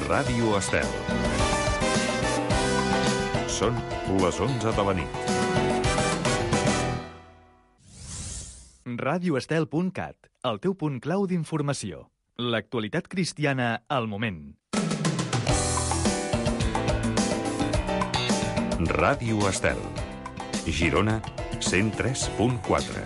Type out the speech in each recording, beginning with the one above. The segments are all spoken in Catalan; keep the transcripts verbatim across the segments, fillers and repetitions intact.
Ràdio Estel. Són les onze de la nit. ràdio estel punt cat, el teu punt clau d'informació. L'actualitat cristiana al moment. Ràdio Estel. Girona, cent tres punt quatre.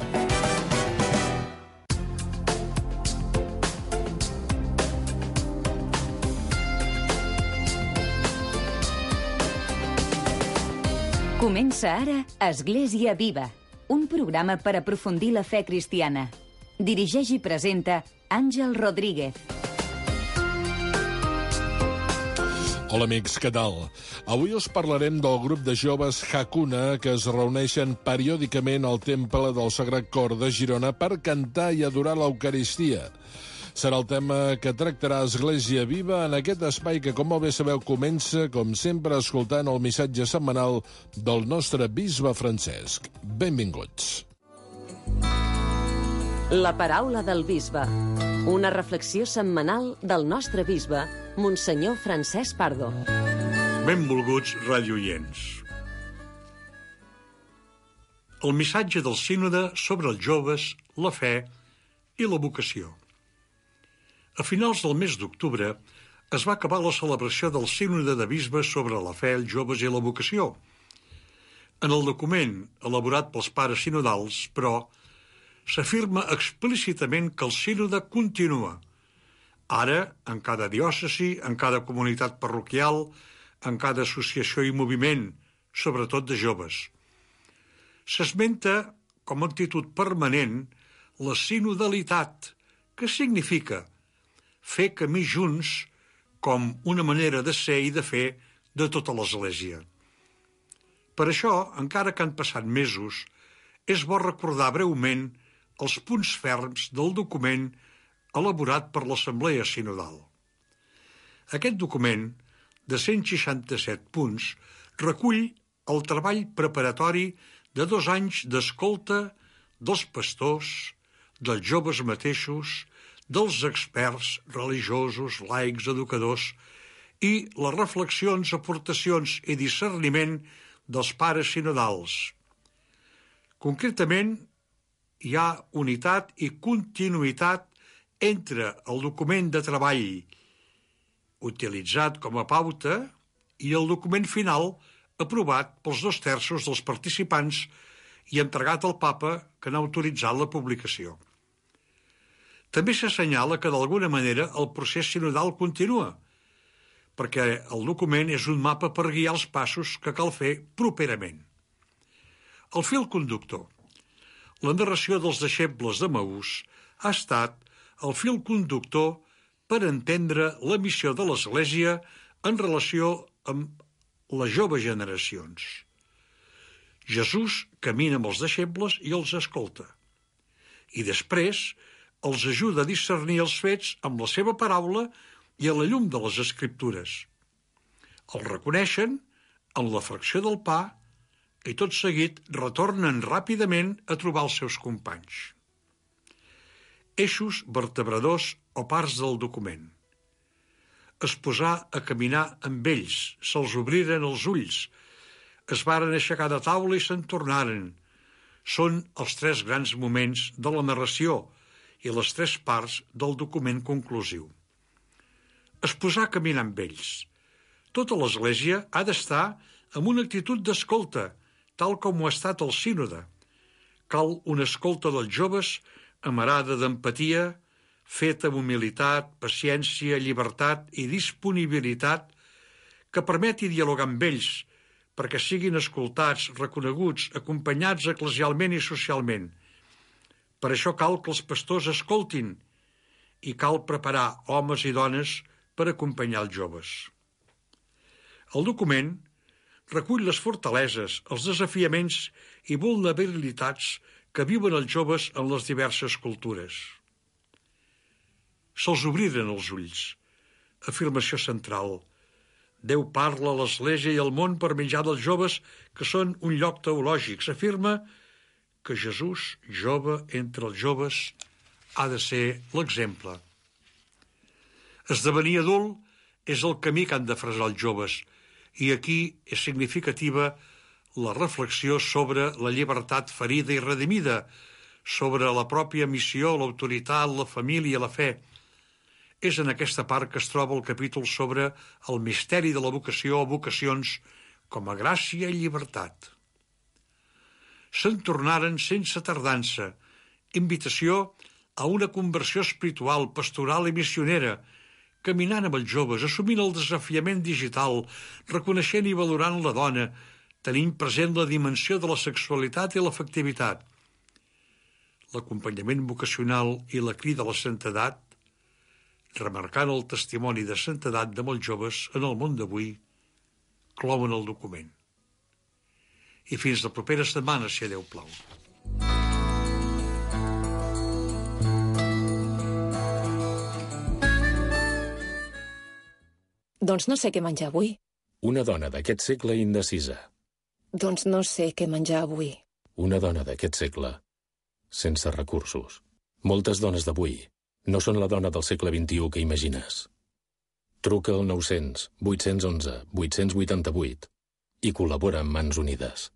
Comença ara Església Viva, un programa per aprofundir la fe cristiana. Dirigeix i presenta Àngel Rodríguez. Hola amics, què tal? Avui us parlarem del grup de joves Hakuna que es reuneixen periòdicament al Temple del Sagrat Cor de Girona per cantar i adorar l'Eucaristia. Serà el tema que tractarà Església Viva en aquest espai que, com molt bé sabeu, comença, com sempre, escoltant el missatge setmanal del nostre bisbe Francesc. Benvinguts. La paraula del bisbe. Una reflexió setmanal del nostre bisbe, Monsenyor Francesc Pardo. Benvolguts radioients. El missatge del sínode sobre els joves, la fe i la vocació. A finals del mes d'octubre es va acabar la celebració del sínode de bisbes sobre la fe, els joves i la vocació. En el document elaborat pels pares sinodals, però, s'afirma explícitament que el sínode continua, ara en cada diòcesi, en cada comunitat parroquial, en cada associació i moviment, sobretot de joves. S'esmenta com a actitud permanent la sinodalitat, que significa fer camí junts com una manera de ser i de fer de tota l'Església. Per això, encara que han passat mesos, és bo recordar breument els punts ferms del document elaborat per l'Assemblea Sinodal. Aquest document, de cent seixanta-set punts, recull el treball preparatori de dos anys d'escolta dels pastors, dels joves mateixos, dels experts religiosos, laics, educadors i les reflexions, aportacions i discerniment dels pares sinodals. Concretament, hi ha unitat i continuïtat entre el document de treball utilitzat com a pauta i el document final aprovat pels dos terços dels participants i entregat al Papa, que n'ha autoritzat la publicació. També s'assenyala que d'alguna manera el procés sinodal continua, perquè el document és un mapa per guiar els passos que cal fer properament. El fil conductor. La narració dels deixebles de Maús ha estat el fil conductor per entendre la missió de l'Església en relació amb les joves generacions. Jesús camina amb els deixebles i els escolta. I després els ajuda a discernir els fets amb la seva paraula i a la llum de les Escriptures. Els reconeixen en la fracció del pa i tot seguit retornen ràpidament a trobar els seus companys. Eixos vertebradors o parts del document. Es posà a caminar amb ells, se'ls obriren els ulls, es varen aixecar de taula i se'n tornaren. Són els tres grans moments de la narració i les tres parts del document conclusiu. Es posà a caminar amb ells. Tota l'Església ha d'estar amb una actitud d'escolta, tal com ho ha estat el sínode. Cal una escolta dels joves amarada d'empatia, feta amb humilitat, paciència, llibertat i disponibilitat, que permeti dialogar amb ells, perquè siguin escoltats, reconeguts, acompanyats eclesialment i socialment. Per això cal que els pastors escoltin i cal preparar homes i dones per acompanyar els joves. El document recull les fortaleses, els desafiaments i vulnerabilitats que viuen els joves en les diverses cultures. Se'ls obriren els ulls. Afirmació central. Déu parla a l'Església i al món per mitjà dels joves que són un lloc teològic. S'afirma que Jesús, jove entre els joves, ha de ser l'exemple. Esdevenir adult és el camí que han de fresar els joves, i aquí és significativa la reflexió sobre la llibertat ferida i redimida, sobre la pròpia missió, l'autoritat, la família, la fe. És en aquesta part que es troba el capítol sobre el misteri de la vocació o vocacions com a gràcia i llibertat. Se'n tornaren sense tardança, invitació a una conversió espiritual, pastoral i missionera, caminant amb els joves, assumint el desafiament digital, reconeixent i valorant la dona, tenint present la dimensió de la sexualitat i l'afectivitat. L'acompanyament vocacional i la crida a la santedat, remarcant el testimoni de santedat de molts joves en el món d'avui, clouen el document. I fins la propera setmana, si Déu plau. Doncs no sé què menjar avui. Una dona d'aquest segle indecisa. Doncs no sé què menjar avui. Una dona d'aquest segle sense recursos. Moltes dones d'avui no són la dona del segle vint-i-u que imagines. Truca al nou-cents vuit-cents onze vuit-cents vuitanta-vuit i col·labora amb Mans Unides.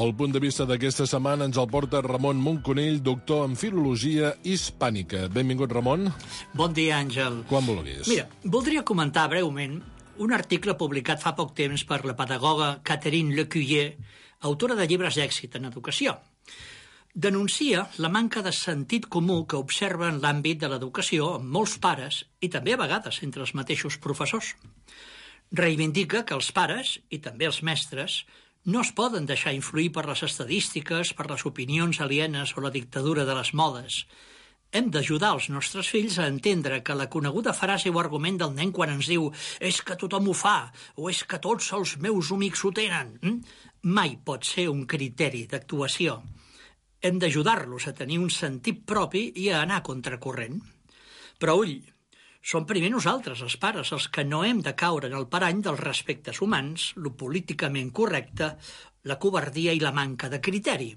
El punt de vista d'aquesta setmana ens el porta Ramon Monconill, doctor en Filologia Hispànica. Benvingut, Ramon. Bon dia, Àngel. Quan vulguis. Mira, voldria comentar breument un article publicat fa poc temps per la pedagoga Catherine Lecuyer, autora de llibres d'èxit en educació. Denuncia la manca de sentit comú que observa en l'àmbit de l'educació amb molts pares i també a vegades entre els mateixos professors. Reivindica que els pares, i també els mestres, no es poden deixar influir per les estadístiques, per les opinions alienes o la dictadura de les modes. Hem d'ajudar els nostres fills a entendre que la coneguda frase o argument del nen quan ens diu «és que tothom ho fa» o «és que tots els meus amics ho tenen», mai pot ser un criteri d'actuació. Hem d'ajudar-los a tenir un sentit propi i a anar contracorrent. Però ull, som primer nosaltres, els pares, els que no hem de caure en el parany dels respectes humans, lo políticament correcte, la covardia i la manca de criteri.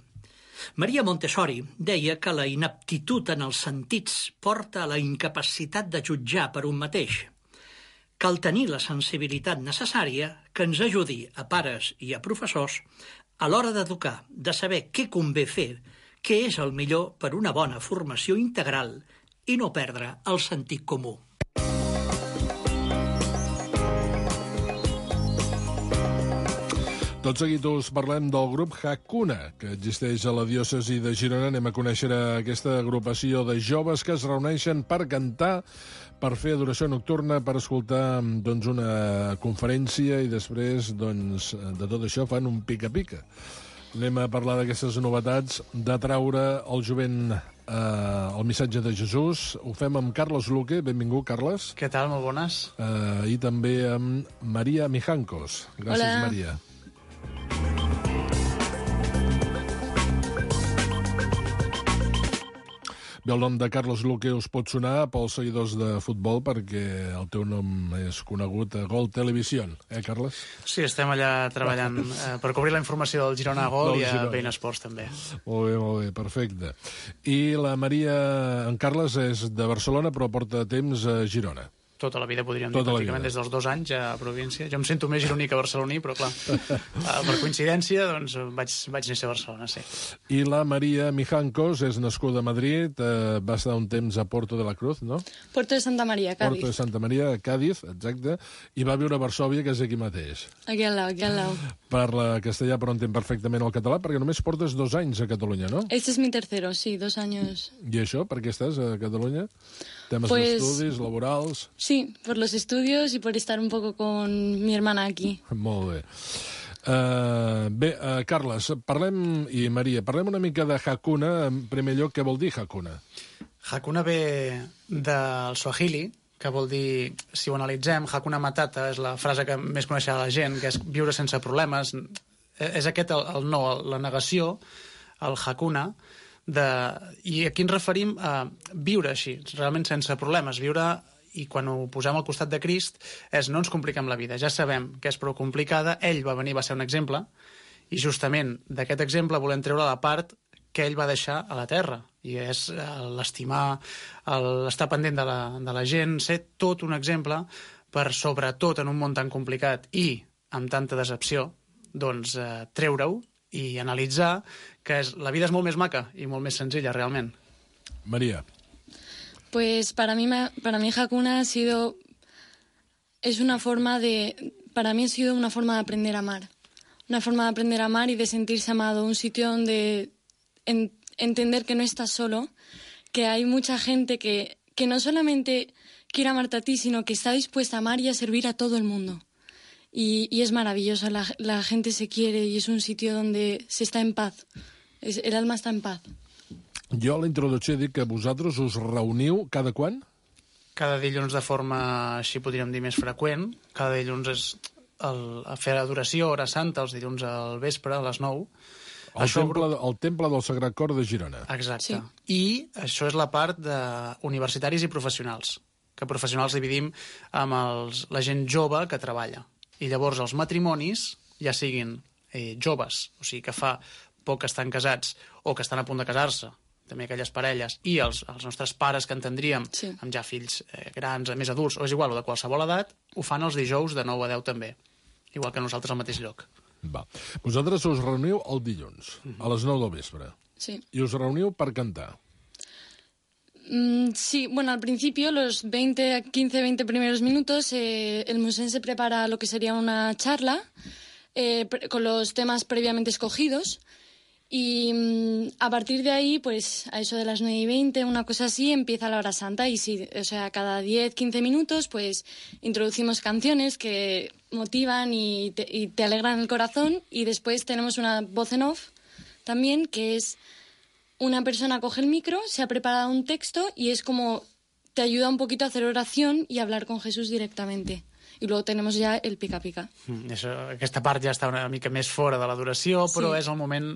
Maria Montessori deia que la inaptitud en els sentits porta a la incapacitat de jutjar per un mateix. Cal tenir la sensibilitat necessària que ens ajudi a pares i a professors a l'hora d'educar, de saber què convé fer, què és el millor per una bona formació integral i no perdre el sentit comú. Tot seguit us parlem del grup Hakuna, que existeix a la diòcesi de Girona. Anem a conèixer aquesta agrupació de joves que es reuneixen per cantar, per fer adoració nocturna, per escoltar doncs, una conferència i després doncs, de tot això fan un pica-pica. Anem a parlar d'aquestes novetats, d'atraure el jovent eh, el missatge de Jesús. Ho fem amb Carlos Luque. Benvingut, Carles. Què tal? Molt bones. Eh, I també amb Maria Mijancos. Gràcies, Hola. Maria. Bé, el nom de Carlos Luque us pot sonar pels seguidors de futbol perquè el teu nom és conegut a Gol Televisió, eh, Carles? Sí, estem allà treballant eh, per cobrir la informació del Girona a Gol i a Bein Esports també. Molt bé, molt bé, perfecte. I la Maria, en Carles, és de Barcelona però porta temps a Girona. Tota la vida, podríem Tota dir, pràcticament des dels dos anys ja a província. Jo em sento més gironí que barceloní, però clar, per coincidència, doncs vaig, vaig néixer a Barcelona, sí. I la Maria Mijancos és nascuda a Madrid, eh, va estar un temps a Porto de la Cruz, no? Porto de Santa Maria, Cádiz. Porto de Santa Maria, Cádiz, exacte, i va viure a Varsòvia, que és aquí mateix. Aquí al lado, aquí al lado. Parla castellà, però entén perfectament el català, perquè només portes dos anys a Catalunya, no? Este es mi tercero, sí, dos años. I això, per què estàs a Catalunya? Temes Pues, d'estudis, laborals... Sí, por los estudios y por estar un poco con mi hermana aquí. Molt bé. Uh, bé, uh, Carles, parlem, i Maria, parlem una mica de Hakuna. En primer lloc, què vol dir Hakuna? Hakuna ve del Swahili, que vol dir, si ho analitzem, Hakuna Matata és la frase que més coneixerà la gent, que és viure sense problemes. És aquest el, el no, la negació, el Hakuna, de... i aquí ens referim a viure així, realment sense problemes, viure, i quan ho posem al costat de Crist, és no ens compliquem la vida, ja sabem que és prou complicada, ell va venir, va ser un exemple, i justament d'aquest exemple volem treure la part que ell va deixar a la terra, i és l'estimar, l'estar pendent de la, de la gent, ser tot un exemple per, sobretot en un món tan complicat i amb tanta decepció, doncs eh, treure-ho i analitzar que és, la vida és molt més maca i molt més senzilla, realment. María. Pues para mí, para mí Hakuna ha sido, es una forma de, para mí ha sido una forma de aprender a amar. Una forma de aprender a amar y de sentirse amado. Un sitio donde en, entender que no estás solo, que hay mucha gente que, que no solamente quiere amarte a ti, sino que está dispuesta a amar y a servir a todo el mundo. Y, y es maravilloso, la, la gente se quiere y es un sitio donde se está en paz. Es, el alma està en paz. Jo a la introducció he dit que vosaltres us reuniu cada quan? Cada dilluns de forma, així podríem dir, més freqüent. Cada dilluns és el, a fer adoració, hora santa, els dilluns al vespre, a les nou. El, això... temple, el temple del Sagrat Cor de Girona. Exacte. Sí. I això és la part d'universitaris i professionals, que professionals dividim amb els, la gent jove que treballa. I llavors els matrimonis, ja siguin eh, joves, o sigui que fa poc que estan casats o que estan a punt de casar-se, també aquelles parelles, i els, els nostres pares que entendríem, sí, amb ja fills eh, grans, més adults, o és igual, o de qualsevol edat, ho fan els dijous de nou a deu també, igual que nosaltres al mateix lloc. Va. Vosaltres us reuniu el dilluns, uh-huh, a les nou del vespre. Sí. I us reuniu per cantar. Mm, sí, bueno, al principio, los veinte, quince, veinte primeros minutos, eh, el musén se prepara lo que sería una charla eh, con los temas previamente escogidos. Y mmm, a partir de ahí, pues a eso de las nueve y veinte, una cosa así, empieza la hora santa. Y sí, o sea, cada diez, quince minutos, pues introducimos canciones que motivan y te, y te alegran el corazón. Y después tenemos una voz en off también, que es una persona coge el micro, se ha preparado un texto y es como te ayuda un poquito a hacer oración y a hablar con Jesús directamente. I luego tenemos ja el pica-pica. Mm, això, aquesta part ja està una mica més fora de l'adoració, però sí, és el moment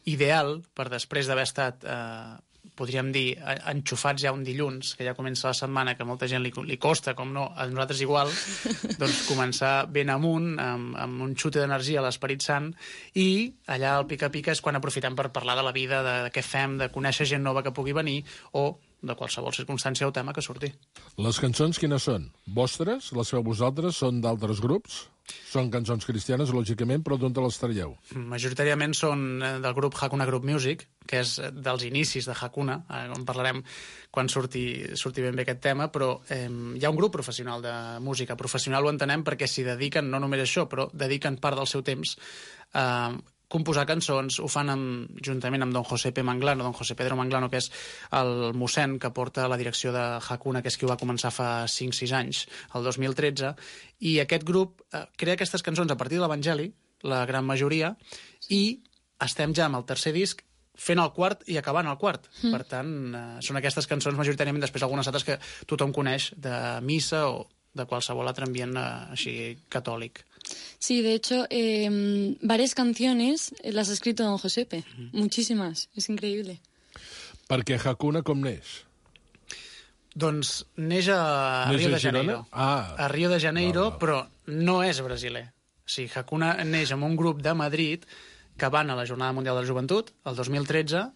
ideal per després d'haver estat, eh, podríem dir, enxufats ja un dilluns, que ja comença la setmana, que a molta gent li, li costa, com no, a nosaltres igual, doncs començar ben amunt, amb, amb un xute d'energia a l'Esperit Sant, i allà el pica-pica és quan aprofitem per parlar de la vida, de, de què fem, de conèixer gent nova que pugui venir, o de qualsevol circumstància o tema que surti. Les cançons quines són? Vostres? Les feu vosaltres? Són d'altres grups? Són cançons cristianes, lògicament, però d'on te les traieu? Majoritàriament són del grup Hakuna Group Music, que és dels inicis de Hakuna, on parlarem quan surti, surti ben bé aquest tema, però eh, hi ha un grup professional de música. Professional ho entenem perquè s'hi dediquen, no només això, però dediquen part del seu temps a eh, composar cançons, ho fan amb, juntament amb don José P. Manglano, don José Pedro Manglano, que és el mossèn que porta la direcció de Hakuna, que és qui ho va començar fa cinc sis anys, el dos mil tretze, i aquest grup eh, crea aquestes cançons a partir de l'Evangeli, la gran majoria, i estem ja amb el tercer disc fent el quart i acabant el quart. Mm. Per tant, eh, són aquestes cançons majoritàriament, després algunes altres que tothom coneix de missa o de qualsevol altre ambient eh, així catòlic. Sí, de hecho, eh, varias canciones las ha escrito don Josepe, uh-huh. Muchísimas, es increíble. Perquè Hakuna com neix? Doncs neix a neix Rio a de Janeiro. Ah. A Rio de Janeiro, ah, ah. però no és brasiler. O sigui, Hakuna neix amb un grup de Madrid que van a la Jornada Mundial de la Joventut, el dos mil tretze,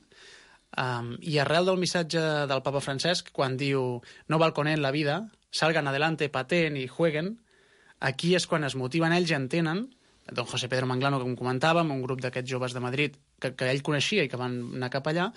um, i arrel del missatge del papa Francesc, quan diu no val con él la vida, salgan adelante, pateen y jueguen, aquí és quan es motiven ells i entenen, don José Pedro Manglano, com comentàvem, un grup d'aquests joves de Madrid que, que ell coneixia i que van anar cap allà,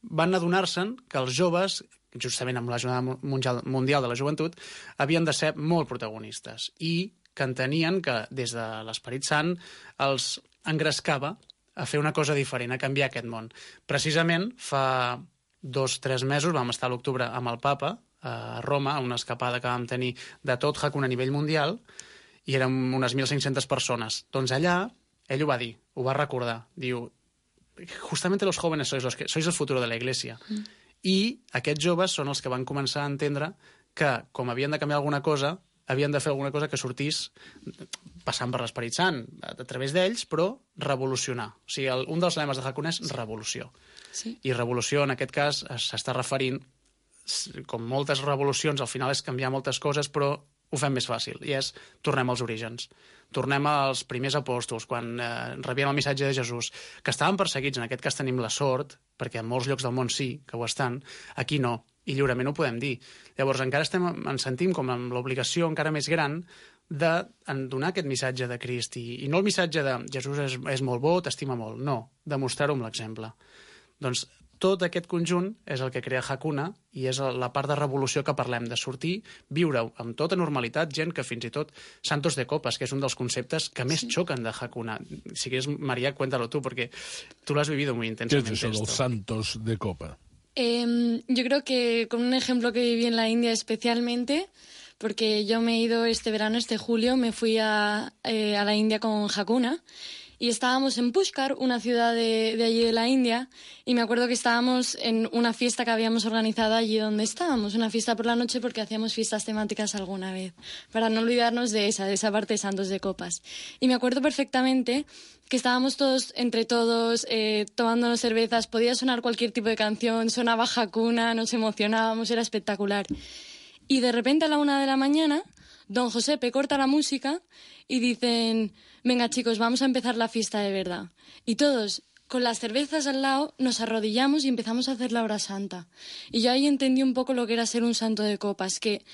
van adonar-se'n que els joves, justament amb la Jornada Mundial de la Joventut, havien de ser molt protagonistes i que entenien que des de l'Esperit Sant els engrescava a fer una cosa diferent, a canviar aquest món. Precisament fa dos o tres mesos vam estar a l'octubre amb el papa, a Roma, una escapada que vam tenir de tot Hakuna a nivell mundial, i érem unes mil cinc-centes persones. Doncs allà, ell ho va dir, ho va recordar. Diu, justamente los jóvenes sois, los que, sois el futuro de la Iglesia. Mm. I aquests joves són els que van començar a entendre que, com havien de canviar alguna cosa, havien de fer alguna cosa que sortís passant per l'Esperit Sant, a, a través d'ells, però revolucionar. O sigui, el, un dels lemes de Hakuna és revolució. Sí. I revolució, en aquest cas, s'està referint, com moltes revolucions, al final és canviar moltes coses, però ho fem més fàcil, i és tornem als orígens. Tornem als primers apòstols, quan eh, rebien el missatge de Jesús, que estaven perseguits, en aquest cas tenim la sort, perquè en molts llocs del món sí que ho estan, aquí no, i lliurement ho podem dir. Llavors encara estem, ens sentim com amb l'obligació encara més gran de donar aquest missatge de Crist, i, i no el missatge de Jesús és, és molt bo, t'estima molt, no, demostrar-ho amb l'exemple. Doncs tot aquest conjunt és el que crea Hakuna i és la part de revolució que parlem, de sortir, viure amb tota normalitat, gent que fins i tot santos de copas, que és un dels conceptes que més sí. xoquen de Hakuna. Si quieres, María, cuéntalo tú, porque tú lo has vivido muy intensamente. ¿Qué es eso de los santos de copa? Eh, yo creo que con un ejemplo que viví en la India especialmente, porque yo me he ido este verano, este julio, me fui a, eh, a la India con Hakuna, y estábamos en Pushkar, una ciudad de, de allí de la India, y me acuerdo que estábamos en una fiesta que habíamos organizado allí donde estábamos, una fiesta por la noche porque hacíamos fiestas temáticas alguna vez, para no olvidarnos de esa, de esa parte de santos de copas. Y me acuerdo perfectamente que estábamos todos, entre todos, eh, tomándonos cervezas, podía sonar cualquier tipo de canción, sonaba Hakuna, nos emocionábamos, era espectacular. Y de repente a la una de la mañana, don Josepe corta la música y dicen, venga chicos, vamos a empezar la fiesta de verdad. Y todos, con las cervezas al lado, nos arrodillamos y empezamos a hacer la hora santa. Y yo ahí entendí un poco lo que era ser un santo de copas, que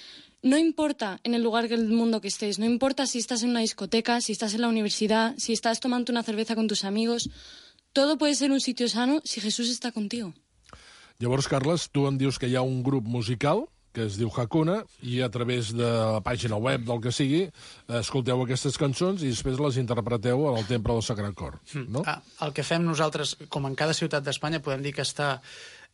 no importa en el lugar del mundo que estés, no importa si estás en una discoteca, si estás en la universidad, si estás tomando una cerveza con tus amigos, todo puede ser un sitio sano si Jesús está contigo. Llavors, Carles, tu em dius que hi ha un grup musical que es diu Hakuna, i a través de la pàgina web del que sigui, escolteu aquestes cançons i després les interpreteu al Temple del Sagrat Cor, no? Ah, el que fem nosaltres, com en cada ciutat d'Espanya, podem dir que està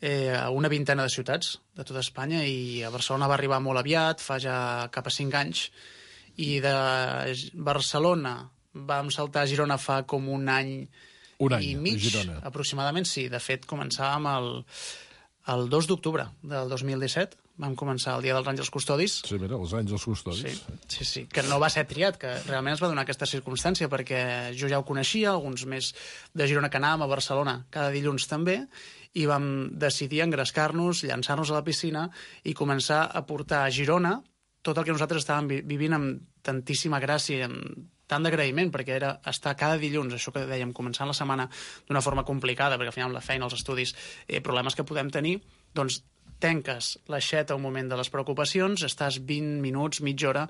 eh, a una vintena de ciutats de tota Espanya, i a Barcelona va arribar molt aviat, fa ja cap a cinc anys, i de Barcelona vam saltar a Girona fa com un any, un any i mig, Girona. Aproximadament, sí. De fet, començàvem el, el dos d'octubre del dos mil disset, vam començar el Dia dels Àngels Custodis. Sí, mira, els Àngels Custodis. Sí, sí, sí, que no va ser triat, que realment es va donar aquesta circumstància, perquè jo ja ho coneixia, alguns més de Girona que anàvem a Barcelona cada dilluns també, i vam decidir engrescar-nos, llançar-nos a la piscina i començar a portar a Girona tot el que nosaltres estàvem vi vivint amb tantíssima gràcia i amb tant d'agraïment, perquè era estar cada dilluns, això que dèiem, començant la setmana d'una forma complicada, perquè al final amb la feina, els estudis, eh, problemes que podem tenir, doncs tenques l'aixeta un moment de les preocupacions, estàs vint minuts, mitja hora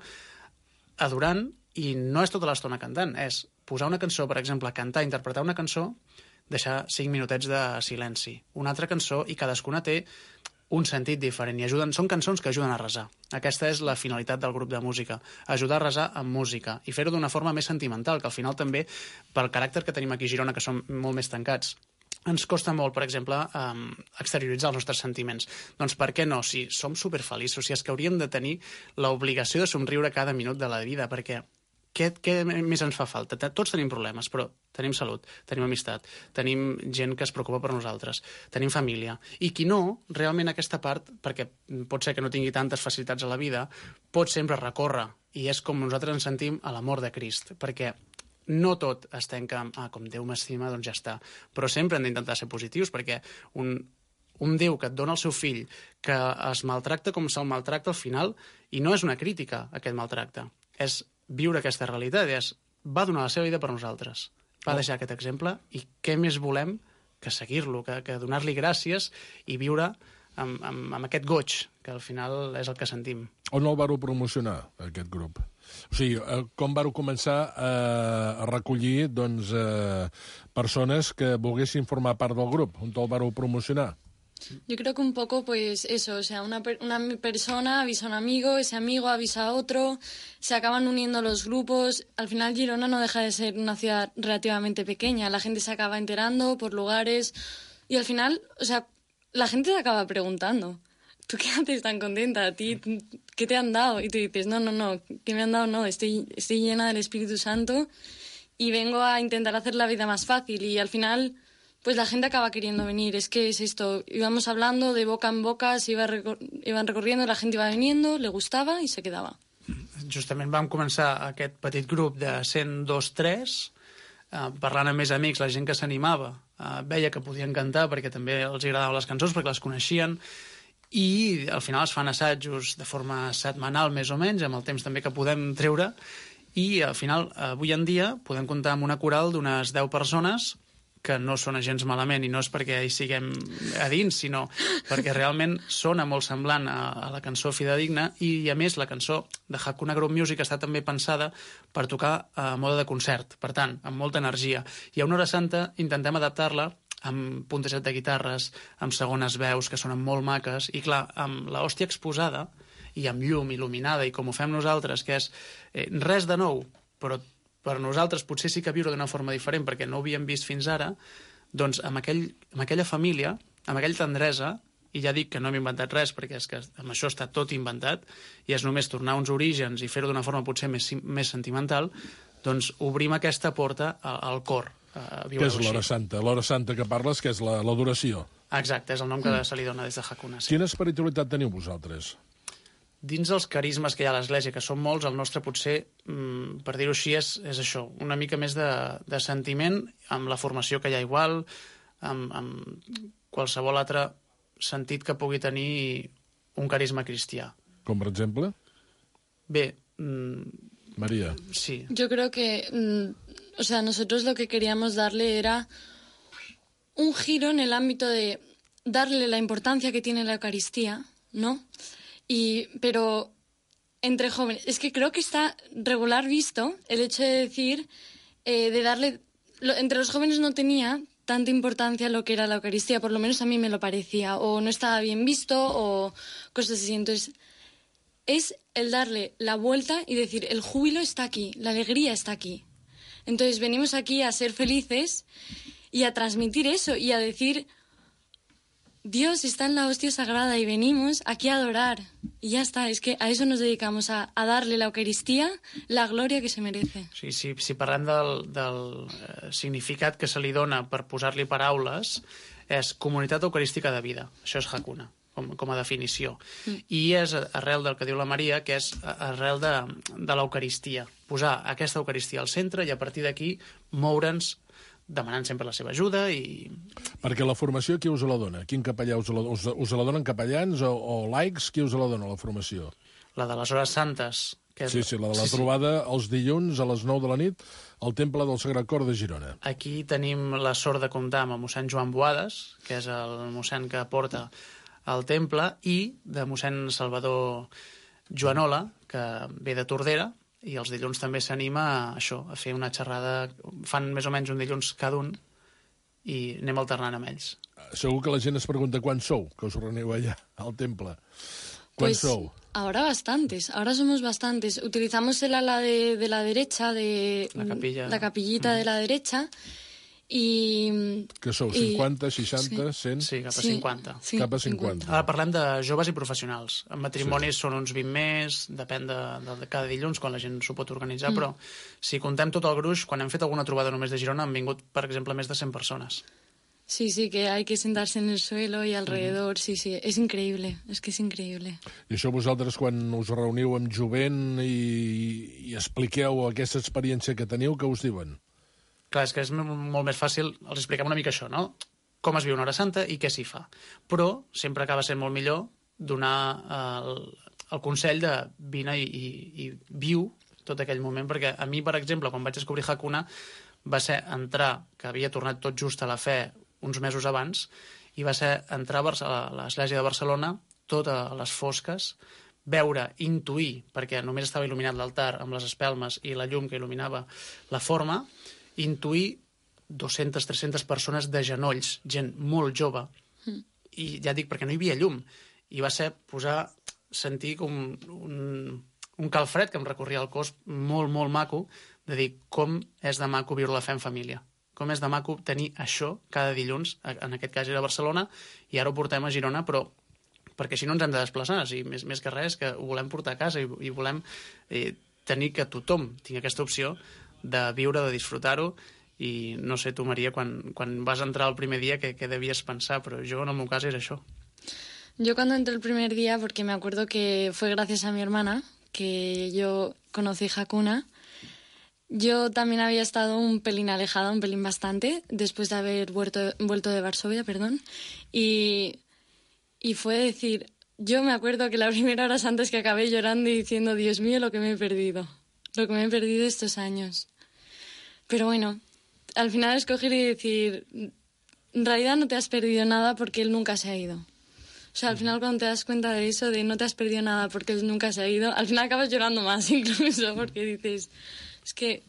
adorant, i no és tota l'estona cantant, és posar una cançó, per exemple, cantar, interpretar una cançó, deixar cinc minutets de silenci, una altra cançó, i cadascuna té un sentit diferent, i ajuden, són cançons que ajuden a resar. Aquesta és la finalitat del grup de música, ajudar a resar amb música, i fer-ho d'una forma més sentimental, que al final també, pel caràcter que tenim aquí a Girona, que som molt més tancats, ens costa molt, per exemple, um, exterioritzar els nostres sentiments. Doncs per què no? Si som superfeliços, si és que hauríem de tenir l'obligació de somriure cada minut de la vida, perquè què, què més ens fa falta? Tots tenim problemes, però tenim salut, tenim amistat, tenim gent que es preocupa per nosaltres, tenim família. I qui no, realment aquesta part, perquè pot ser que no tingui tantes facilitats a la vida, pot sempre recórrer, i és com nosaltres ens sentim a l'amor de Crist, perquè no tot es tanca amb, ah, com Déu m'estima, doncs ja està. Però sempre hem d'intentar ser positius, perquè un, un Déu que et dona el seu fill, que es maltracta com se'l maltracta al final, i no és una crítica, aquest maltracte, és viure aquesta realitat, és, va donar la seva vida per nosaltres, va deixar aquest exemple, i què més volem que seguir-lo, que, que donar-li gràcies i viure amb, amb, amb aquest goig, que al final és el que sentim. On el vareu promocionar, aquest grup? O sigui, com vareu començar a, a recollir doncs, eh, persones que volguessin formar part del grup? On el vareu promocionar? Yo creo que un poco, pues eso, o sea, una, per una persona avisa a un amigo, ese amigo avisa a otro, se acaban uniendo los grupos. Al final Girona no deja de ser una ciudad relativamente pequeña, la gente se acaba enterando por lugares y al final, o sea, la gente te acaba preguntando, ¿tú qué haces tan contenta? ¿A ti qué te han dado? Y tú dices, no, no, no, ¿qué me han dado? No, estoy, estoy llena del Espíritu Santo y vengo a intentar hacer la vida más fácil y al final... pues la gente acaba queriendo venir. Es que es esto, íbamos hablando de boca en boca, se iba recor iban recorriendo, la gente iba viniendo, le gustava i se quedava. Justament vam començar aquest petit grup de cent dos tres, eh, parlant amb més amics, la gent que s'animava, eh, veia que podien cantar perquè també els agradaven les cançons, perquè les coneixien, i al final es fan assajos de forma setmanal més o menys, amb el temps també que podem treure, i al final, avui en dia, podem comptar amb una coral d'unes deu persones que no sona gens malament, i no és perquè hi siguem a dins, sinó perquè realment sona molt semblant a, a la cançó fidedigna, i a més la cançó de Hakuna Group Music està també pensada per tocar a mode de concert, per tant, amb molta energia. I a una hora santa intentem adaptar-la amb puntejat de guitarres, amb segones veus que sonen molt maques, i clar, amb l'hòstia exposada i amb llum il·luminada, i com ho fem nosaltres, que és eh, res de nou, però per nosaltres potser sí que viure d'una forma diferent perquè no ho havíem vist fins ara, doncs amb, aquell, amb aquella família, amb aquella tendresa, i ja dic que no hem inventat res perquè és que amb això està tot inventat i és només tornar a uns orígens i fer-ho d'una forma potser més, més sentimental, doncs obrim aquesta porta al, al cor. Què és l'hora santa? L'hora santa que parles, que és l'adoració. Exacte, és el nom que mm. se li dona des de Hakuna. Sí. Quina espiritualitat teniu vosaltres? Dins els carismes que hi ha a l'Església, que són molts, el nostre potser, mm, per dir-ho així, és, és això, una mica més de, de sentiment, amb la formació que hi ha igual, amb, amb qualsevol altre sentit que pugui tenir un carisma cristià. Com per exemple? Bé... Mm, María. Sí. Yo creo que, mm, o sea, nosotros lo que queríamos darle era un giro en el ámbito de darle la importancia que tiene la Eucaristía, ¿no? Y, pero entre jóvenes, es que creo que está regular visto el hecho de decir, eh, de darle, lo, entre los jóvenes no tenía tanta importancia lo que era la Eucaristía, por lo menos a mí me lo parecía, o no estaba bien visto, o cosas así. Entonces, es el darle la vuelta y decir, el júbilo está aquí, la alegría está aquí. Entonces venimos aquí a ser felices y a transmitir eso y a decir, Dios está en la hostia sagrada y venimos aquí a adorar. Y ya está, es que a eso nos dedicamos, a, a darle la Eucaristía la gloria que se merece. Sí, sí, si parlem del, del eh, significat que se li dona per posar-li paraules, és comunitat eucarística de vida. Això és Hakuna, com, com a definició. Mm. I és arrel del que diu la Maria, que és arrel de, de l'Eucaristia. Posar aquesta Eucaristia al centre i a partir d'aquí moure'ns demanant sempre la seva ajuda i... Perquè la formació, qui us la dona? Quin capellà us la, us, us la donen capellans o, o laics? Qui us la dona, la formació? La de les hores santes. Que és... Sí, sí, la de la sí, trobada sí. els dilluns a les nou de la nit al Temple del Sagrat Cor de Girona. Aquí tenim la sort de comptar amb el mossèn Joan Boades, que és el mossèn que porta al temple, i de mossèn Salvador Joanola, que ve de Tordera, i els dilluns també s'anima a això, a fer una xerrada, fan més o menys un dilluns cada un i anem alternant amb ells. Segur que la gent es pregunta quan sou, que us reuniu allà al temple. Quan pues, sou? Ahora bastantes, ahora somos bastantes. Utilizamos el ala de, de la derecha, de la, capilla. la capillita mm. de la derecha, i... Que sou, cinquanta, seixanta, cent? Sí, cap a sí, cinquanta. Sí, cap a cinquanta. Ara parlem de joves i professionals. En matrimonis sí. són uns vint més, depèn de, de, de cada dilluns, quan la gent s'ho pot organitzar, mm. però si contem tot el gruix, quan hem fet alguna trobada només de Girona, han vingut, per exemple, més de cent persones. Sí, sí, que hay que sentarse en el suelo y alrededor, mm. sí, sí, és increïble, és que és increïble. I això vosaltres, quan us reuniu amb jovent i, i expliqueu aquesta experiència que teniu, què us diuen? Clar, és que és molt més fàcil, els expliquem una mica això, no? Com es viu una hora santa i què s'hi fa. Però sempre acaba sent molt millor donar el, el consell de vine i, i, i viu tot aquell moment, perquè a mi, per exemple, quan vaig descobrir Hakuna, va ser entrar, que havia tornat tot just a la fe uns mesos abans, i va ser entrar a l'església de Barcelona, tot a les fosques, veure, intuir, perquè només estava il·luminat l'altar amb les espelmes i la llum que il·luminava la forma, intuir dues-centes a tres-centes persones de genolls, gent molt jove, mm. i ja dic, perquè no hi havia llum, i va ser posar, sentir com un, un calfred que em recorria el cos molt, molt maco, de dir com és de maco viure la fe en família, com és de maco tenir això cada dilluns, en aquest cas era a Barcelona, i ara ho portem a Girona, però perquè així no ens hem de desplaçar, o sigui, més, més que res que ho volem portar a casa i, i volem eh, tenir que tothom tingui aquesta opció de viure, de disfrutar-ho, i no sé tu, Maria, quan, quan vas entrar el primer dia, què, què devies pensar, però jo en el meu cas era això. Yo cuando entré el primer día, porque me acuerdo que fue gracias a mi hermana, que yo conocí Hakuna, yo también había estado un pelín alejada, un pelín bastante, después de haber vuelto, vuelto de Varsovia, perdón, y, y fue decir, yo me acuerdo que la primera hora antes que acabé llorando y diciendo, Dios mío, lo que me he perdido. Lo que me he perdido estos años. Pero bueno, al final escoger y decir, en realidad no te has perdido nada porque él nunca se ha ido. O sea, al final cuando te das cuenta de eso, de no te has perdido nada porque él nunca se ha ido, al final acabas llorando más incluso, porque dices, es que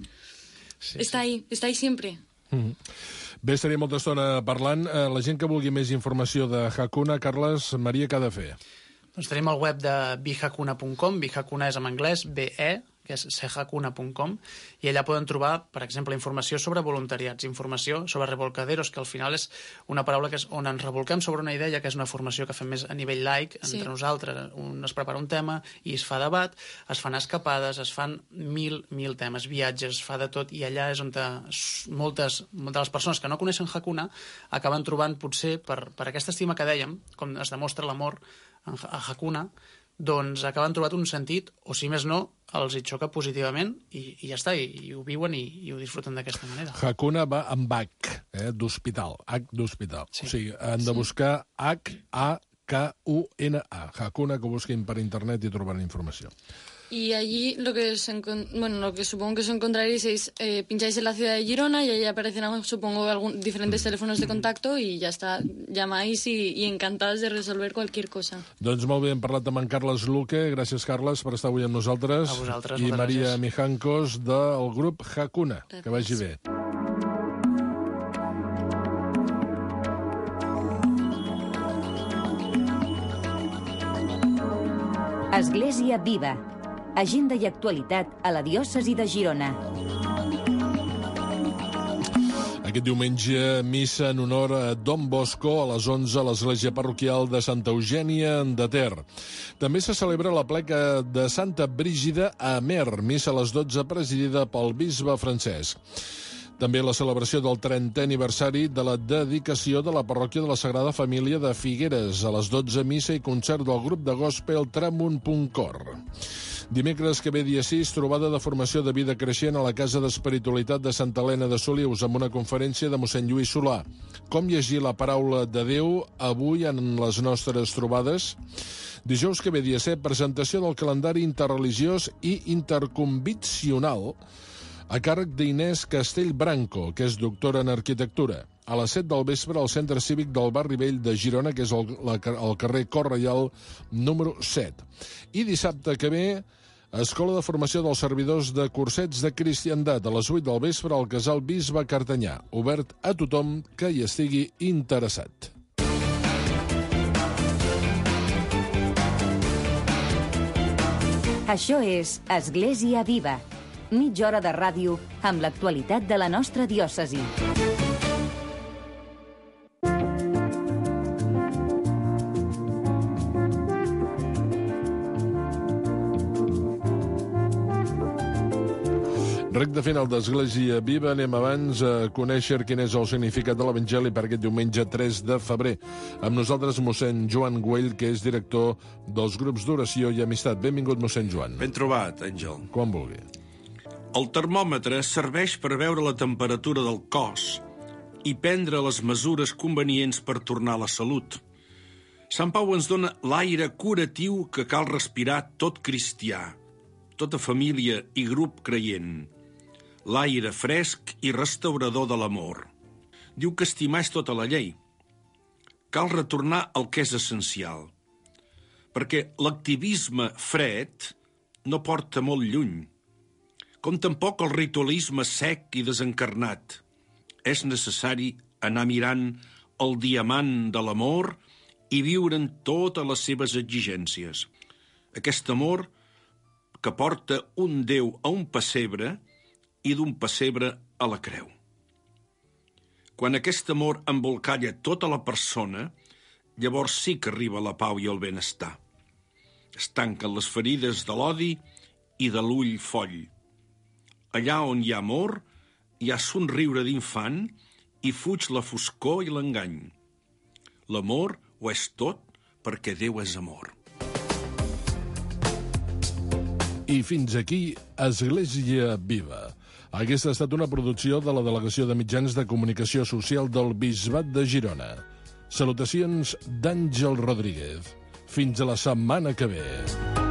sí, està sí. ahí, està ahí sempre. Mm-hmm. Bé, estaria molta estona parlant. La gent que vulgui més informació de Hakuna, Carles, Maria, què ha de fer? Doncs tenim el web de bihakuna punt com, bihakuna és en anglès, B E, que és sehakuna punt com, i allà poden trobar, per exemple, informació sobre voluntariats, informació sobre revolcaderos, que al final és una paraula que és on ens revolquem sobre una idea, que és una formació que fem més a nivell laic, entre sí. nosaltres, un es prepara un tema i es fa debat, es fan escapades, es fan mil, mil temes, viatges, es fa de tot, i allà és on te, moltes, moltes de les persones que no coneixen Hakuna acaben trobant, potser, per, per aquesta estima que dèiem, com es demostra l'amor a Hakuna, doncs acaben trobat un sentit, o si més no, els hi xoca positivament i, i ja està, i, i ho viuen i, i ho disfruten d'aquesta manera. Hakuna va amb H, eh, d'hospital, H d'hospital. Sí. O sigui, han de buscar H A K U N A. Hakuna, que busquin per internet i trobaran informació. Y allí lo que, se bueno, lo que supongo que os encontraréis es, eh, pincháis en la ciudad de Girona y ahí aparecerán, supongo, algún, diferentes teléfonos de contacto y ya está, llamáis y, y encantados de resolver cualquier cosa. Doncs molt bé, hem parlat amb en Carles Luque. Gràcies, Carles, per estar avui amb nosaltres. A vosaltres, I Maria gràcies. Mijankos, del grup Hakuna. Gràcies. Que vagi bé. Església Viva. Agenda i actualitat a la diòcesi de Girona. Aquest diumenge, missa en honor a Don Bosco a les onze a l'església parroquial de Santa Eugènia de Ter. També se celebra la pleca de Santa Brígida a Amer, missa a les dotze presidida pel bisbe Francesc. També la celebració del trentè aniversari de la dedicació de la parròquia de la Sagrada Família de Figueres. A les dotze, missa i concert del grup de gospel Tramunt punt cor. Dimecres que ve dia sis, trobada de formació de vida creixent a la Casa d'Espiritualitat de Santa Helena de Solius amb una conferència de mossèn Lluís Solà. Com llegir la paraula de Déu avui en les nostres trobades? Dijous que ve dia set, presentació del calendari interreligiós i interconviccional a càrrec d'Inés Castell Branco, que és doctora en arquitectura. A les set del vespre al Centre Cívic del Barri Vell de Girona, que és el, la, el carrer Cor Reial número set. I dissabte que ve, Escola de Formació dels Servidors de Cursets de Cristiandat, a les vuit del vespre al Casal Bisbe Cartanyà, obert a tothom que hi estigui interessat. Això és Església Viva. Mitja hora de ràdio amb l'actualitat de la nostra diòcesi. Recte final d'Església Viva, anem abans a conèixer quin és el significat de l'Evangeli per aquest diumenge tres de febrer. Amb nosaltres mossèn Joan Güell, que és director dels grups d'oració i amistat. Benvingut, mossèn Joan. Ben trobat, Àngel. Quan vulgui. El termòmetre serveix per veure la temperatura del cos i prendre les mesures convenients per tornar a la salut. Sant Pau ens dona l'aire curatiu que cal respirar tot cristià, tota família i grup creient. L'aire fresc i restaurador de l'amor. Diu que estimar és tota la llei. Cal retornar al que és essencial, perquè l'activisme fred no porta molt lluny, com tampoc el ritualisme sec i desencarnat. És necessari anar mirant el diamant de l'amor i viure'n totes les seves exigències. Aquest amor que porta un Déu a un pessebre i d'un pessebre a la creu. Quan aquest amor embolcalla tota la persona, llavors sí que arriba la pau i el benestar. Es tanquen les ferides de l'odi i de l'ull foll. Allà on hi ha amor, hi ha somriure d'infant i fuig la foscor i l'engany. L'amor ho és tot perquè Déu és amor. I fins aquí, Església Viva. Aquesta ha estat una producció de la Delegació de Mitjans de Comunicació Social del Bisbat de Girona. Salutacions d'Àngel Rodríguez. Fins a la setmana que ve.